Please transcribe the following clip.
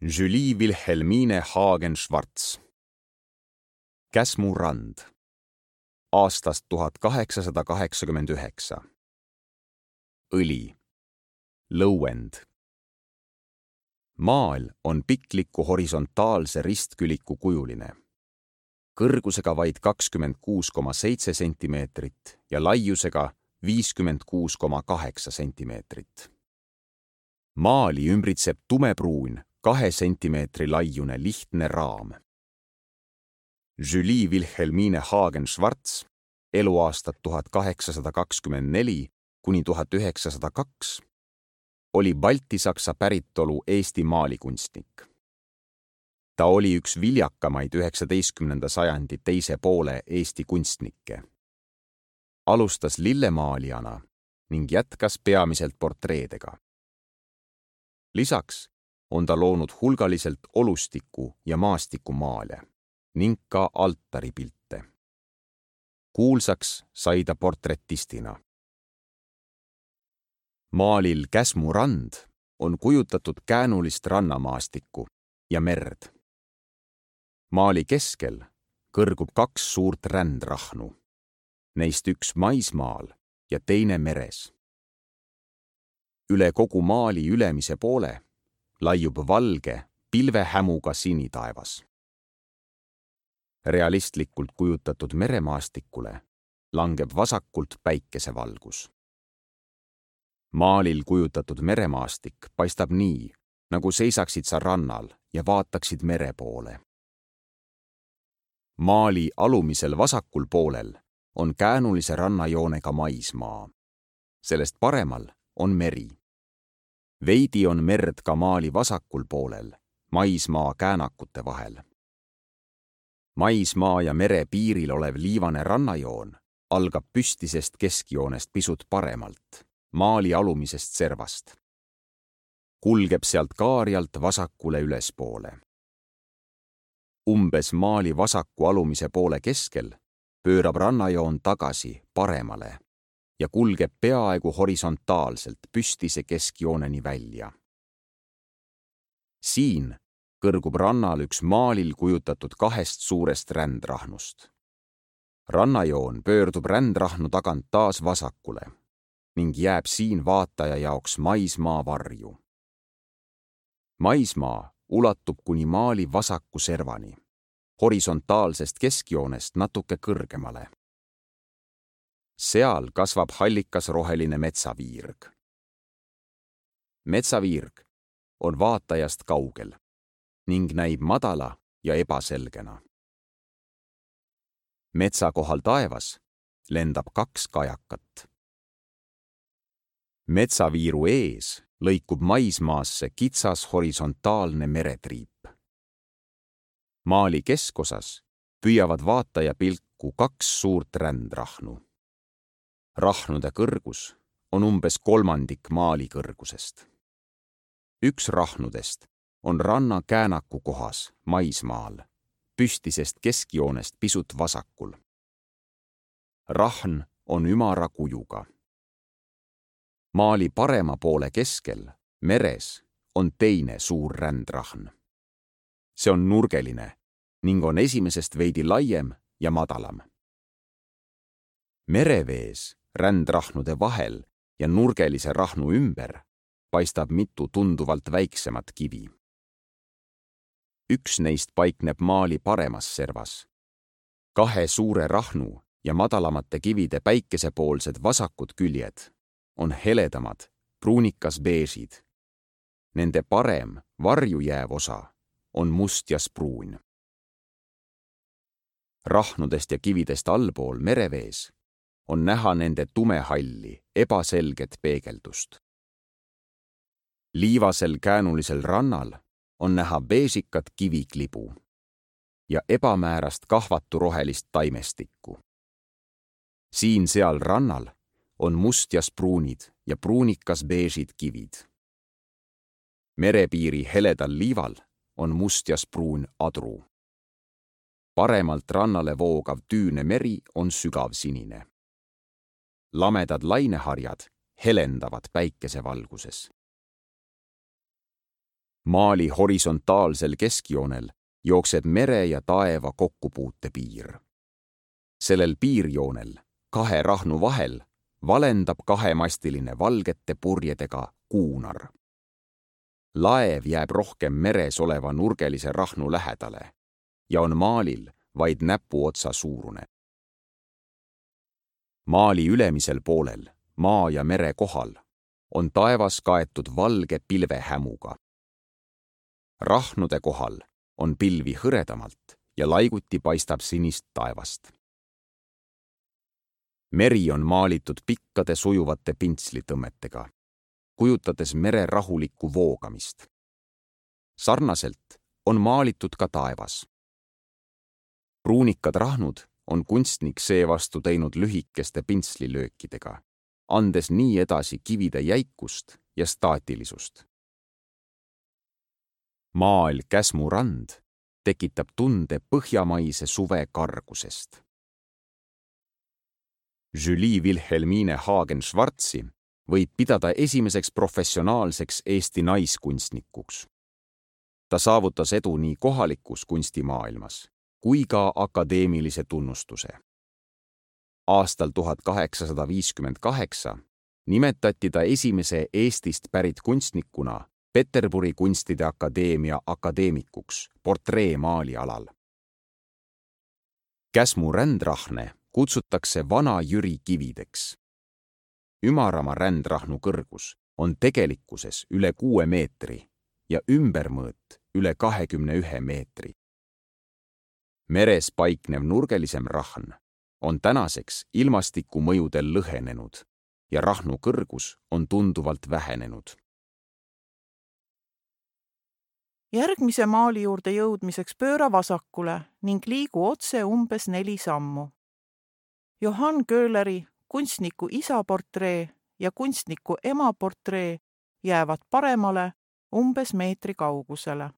Julie Wilhelmine Hagen-Schwarz. Käsmu rand. Aastast 1889. Õli. Lõuend. Maal on pikliku horisontaalse ristküliku kujuline. Kõrgusega vaid 26,7 sentimeetrit ja laiusega 56,8 sentimeetrit. Maali ümbritseb tumepruun 2 sentimeetri laiune lihtne raam. Julie Wilhelmine Hagen-Schwarz, eluaastad 1824 kuni 1902, oli baltisaksa päritolu Eesti maalikunstnik. Ta oli üks viljakamaid 19. sajandi teise poole Eesti kunstnikke. Alustas lillemaalijana ning jätkas peamiselt portreedega. Lisaks on ta loonud hulgaliselt olustiku- ja maastikumaale ning ka altaripilte. Kuulsaks sai ta portretistina. Maalil Käsmu rand on kujutatud käänulist rannamaastikku ja merd. Maali keskel kõrgub 2 suurt rändrahnu, neist üks maismaal ja teine meres. Üle kogu maali ülemise poole laiub valge pilvehämuga sinitaevas. Realistlikult kujutatud meremaastikule langeb vasakult päikesevalgus. Maalil kujutatud meremaastik paistab nii, nagu seisaksid sa rannal ja vaataksid mere poole. Maali alumisel vasakul poolel on käänulise rannajoonega maismaa. Sellest paremal on meri. Veidi on merd ka maali vasakul poolel, maismaa käänakute vahel. Maismaa ja mere piiril olev liivane rannajoon algab püstisest keskjoonest pisut paremalt, maali alumisest servast. Kulgeb sealt kaarjalt vasakule ülespoole. Umbes maali vasaku alumise poole keskel pöörab rannajoon tagasi paremale ja kulgeb peaaegu horisontaalselt püstise keskjooneni välja. Siin kõrgub rannal üks maalil kujutatud 2 suurest rändrahnust. Rannajoon pöördub rändrahnu tagant taas vasakule ning jääb siin vaataja jaoks maismaa varju. Maismaa ulatub kuni maali vasaku servani, horisontaalsest keskjoonest natuke kõrgemale. Seal kasvab hallikas roheline metsaviirg. Metsaviirg on vaatajast kaugel ning näib madala ja ebaselgena. Metsa kohal taevas lendab 2 kajakat. Metsaviiru ees lõikub maismaasse kitsas horisontaalne meretriip. Maali keskosas püüavad vaataja pilku 2 suurt rändrahnu. Rahnude kõrgus on umbes 1/3 maali kõrgusest. Üks rahnudest on ranna käänaku kohas maismaal, püstisest keskjoonest pisut vasakul. Rahn on ümara kujuga. Maali parema poole keskel, meres, on teine suur rändrahn. See on nurgeline ning on esimesest veidi laiem ja madalam. Merevees rändrahnude vahel ja nurgelise rahnu ümber paistab mitu tunduvalt väiksemat kivi. Üks neist paikneb maali paremas servas. 2 suure rahnu ja madalamate kivide päikesepoolsed vasakud küljed on heledamad, pruunikas beežid. Nende parem, varju jääv osa on mustjaspruun. Rahnudest ja kividest allpool merevees on näha nende tumehalli, ebaselget peegeldust. Liivasel käänulisel rannal on näha beežikat kiviklibu ja ebamäärast kahvaturohelist taimestikku. Siin-seal rannal on mustjaspruunid ja pruunikas beežid kivid. Merepiiri heledal liival on mustjaspruun adru. Paremalt rannale voogav tüüne meri on sügavsinine. Lamedad laineharjad helendavad päikesevalguses. maali horisontaalsel keskjoonel jookseb mere ja taeva kokkupuutepiir. Sellel piirjoonel, kahe rahnu vahel, valendab kahemastiline valgete purjedega kuunar. Laev jääb rohkem meres oleva nurgelise rahnu lähedale ja on maalil vaid näpuotsa suurune. Maali ülemisel poolel, maa ja mere kohal, on taevas kaetud valge pilvehämuga. Rahnude kohal on pilvi hõredamalt ja laiguti paistab sinist taevast. Meri on maalitud pikkade sujuvate pintslitõmmetega, kujutades mere rahulikku voogamist. Sarnaselt on maalitud ka taevas. Pruunikad rahnud on kunstnik seevastu teinud lühikeste pintslilöökidega, andes nii edasi kivide jäikust ja staatilisust. Maal Käsmu rand tekitab tunde põhjamaise suve kargusest. Julie Wilhelmine Hagen-Schwarzi võib pidada esimeseks professionaalseks Eesti naiskunstnikuks. Ta saavutas edu nii kohalikus kunstimaailmas kui ka akadeemilise tunnustuse. Aastal 1858 nimetati ta esimese Eestist pärit kunstnikuna Peterburi kunstide akadeemia akadeemikuks portreemaali alal. Käsmu rändrahne kutsutakse Vana-Jüri kivideks. Ümarama rändrahnu kõrgus on tegelikkuses üle 6 meetri ja ümbermõõt üle 21 meetri. Meres paiknev nurgelisem rahn on tänaseks ilmastiku mõjudel lõhenenud ja rahnu kõrgus on tunduvalt vähenenud. Järgmise maali juurde jõudmiseks pööra vasakule ning liigu otse umbes 4 sammu. Johann Köhleri kunstniku isa portree ja kunstniku ema portree jäävad paremale umbes meetri kaugusele.